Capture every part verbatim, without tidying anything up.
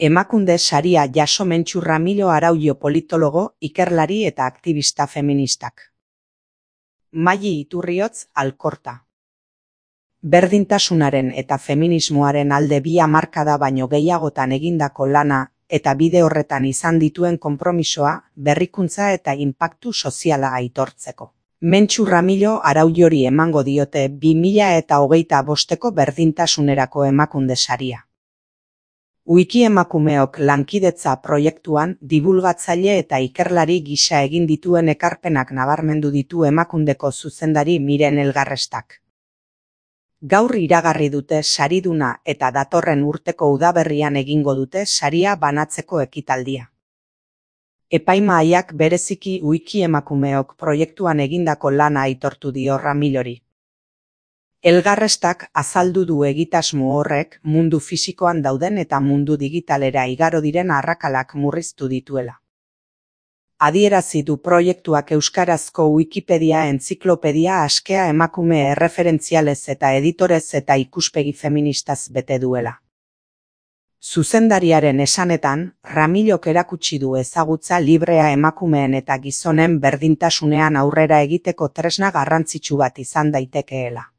Emakunde saria jaso Mentxu Ramilo Araullo politologo, ikerlari eta aktivista feministak. Maili Iturriotz Alkorta. Berdintasunaren eta feminismoaren alde bi hamarkada baino gehiagotan egindako lana eta bide horretan izan dituen konpromisoa, berrikuntza eta inpaktu soziala aitortzeko. Mentxu Ramilo Araullori emango diote bi mila eta hogeita bosteko berdintasunerako emakunde saria. Wiki emakumeok lankidetza proiektuan dibulgatzaile eta ikerlari gisa egin dituen ekarpenak nabarmendu ditu emakundeko zuzendari Miren Elgarrestak. Gaur iragarri dute sariduna eta datorren urteko udaberrian egingo dute saria banatzeko ekitaldia. Epaimahaiak bereziki Wiki emakumeok proiektuan egindako lana aitortu dio Ramilori. Elgarrestak azaldu du egitasmo horrek mundu fisikoan dauden eta mundu digitalera igaro diren arrakalak murriztu dituela. Adierazi du proiektuak euskarazko Wikipedia entziklopedia askea emakume erreferentzialez eta editorez eta ikuspegi feministaz bete duela. Zuzendariaren esanetan, Ramilok erakutsi du ezagutza librea emakumeen eta gizonen berdintasunean aurrera egiteko tresna garrantzitsu bat izan daitekeela.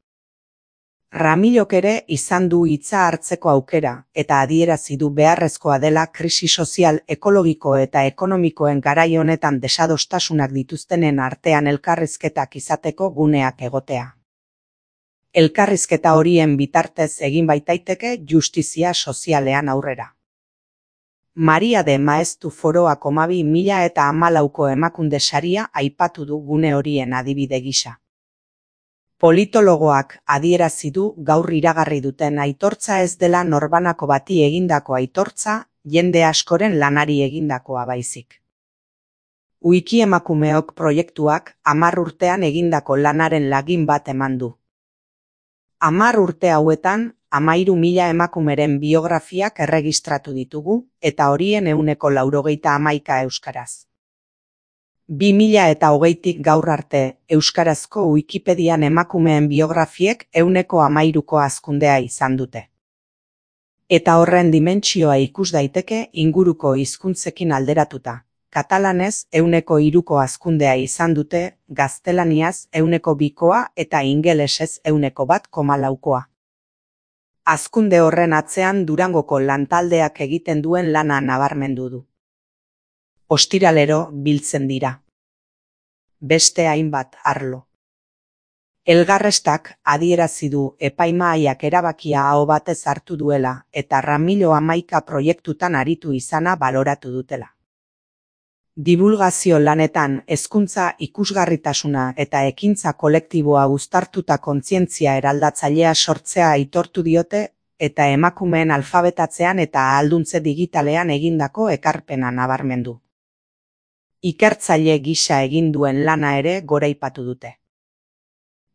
Ramilok ere izan du hitza hartzeko aukera eta adierazi du beharrezkoa dela krisi sozial, ekologiko eta ekonomikoen garai honetan desadostasunak dituztenen artean elkarrizketak izateko guneak egotea. Elkarrizketa horien bitartez egin baitaiteke justizia sozialean aurrera. Maria de Maestu Foroak hamabi mila eta hamalauko emakunde saria aipatu du gune horien adibide gisa. Politologoak adierazi du gaur iragarri duten aitortza ez dela norbanako bati egindako aitortza, jende askoren lanari egindakoa baizik. Wiki emakumeok proiektuak hamar urtean egindako lanaren lagin bat eman du. Hamar urte hauetan, hamahiru mila emakumeren biografiak erregistratu ditugu, eta horien ehuneko laurogeita hamaika euskaraz. Bi mila eta hogeitik gaur arte, euskarazko Wikipedian emakumeen biografiek ehuneko hamahiruko hazkundea izan dute. Eta horren dimentsioa ikus daiteke inguruko hizkuntzekin alderatuta. Katalanez ehuneko hiruko hazkundea izan dute, gaztelaniaz ehuneko bikoa eta ingelesez ehuneko bat koma laukoa. Hazkunde horren atzean Durangoko lantaldeak egiten duen lana nabarmendu du. Ostiralero biltzen dira. Beste hainbat arlo. Elgarrestak adierazi du epaimahaiak erabakia aho batez hartu duela eta Ramilo hamaika proiektutan aritu izana baloratu dutela. Dibulgazio lanetan hezkuntza ikusgarritasuna eta ekintza kolektiboa uztartuta kontzientzia eraldatzailea sortzea aitortu diote eta emakumeen alfabetatzean eta ahalduntze digitalean egindako ekarpena nabarmendu. Ikertzaile gisa egin duen lana ere goraipatu dute.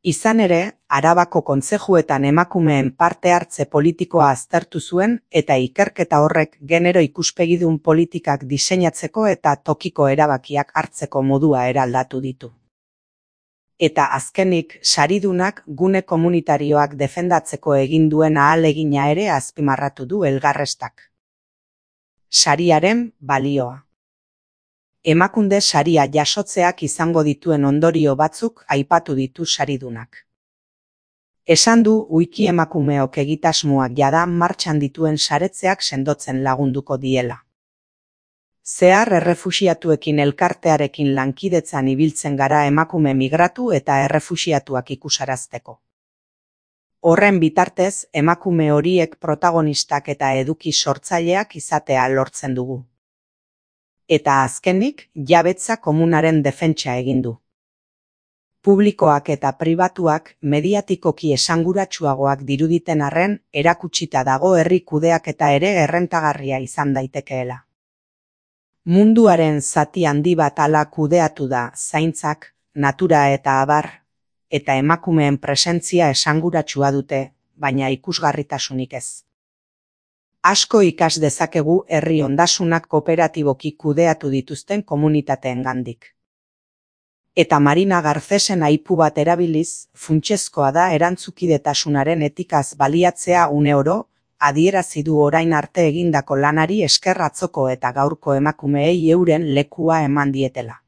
Izan ere, Arabako kontzejuetan emakumeen parte hartze politikoa aztertu zuen eta ikerketa horrek genero ikuspegidun politikak diseinatzeko eta tokiko erabakiak hartzeko modua eraldatu ditu. Eta azkenik, saridunak gune komunitarioak defendatzeko egin duen ahalegina ere azpimarratu du Elgarrestak. Sariaren balioa. Emakunde saria jasotzeak izango dituen ondorio batzuk aipatu ditu saridunak. Esan du Wiki emakumeok egitasmoak jada martxan dituen saretzeak sendotzen lagunduko diela. Zehar errefuxiatuekin elkartearekin lankidetzan ibiltzen gara emakume migratu eta errefuxiatuak ikusarazteko. Horren bitartez, emakume horiek protagonistak eta eduki sortzaileak izatea lortzen dugu. Eta azkenik, jabetza komunaren defentsa egin du. Publikoak eta pribatuak mediatikoki esanguratsuagoak diruditen arren, erakutsita dago herri kudeaketa ere errentagarria izan daitekeela. Munduaren zati handi bat hala kudeatu da zaintzak, natura eta abar, eta emakumeen presentzia esanguratsua dute, baina ikusgarritasunik ez. Asko ikas dezakegu herri ondasunak kooperatiboki kudeatu dituzten komunitateengandik. Eta Marina Garcesen aipu bat erabiliz, funtsezkoa da erantzukidetasunaren etikaz baliatzea uneoro, adierazi du orain arte egindako lanari esker atzoko eta gaurko emakumeei euren lekua eman dietela.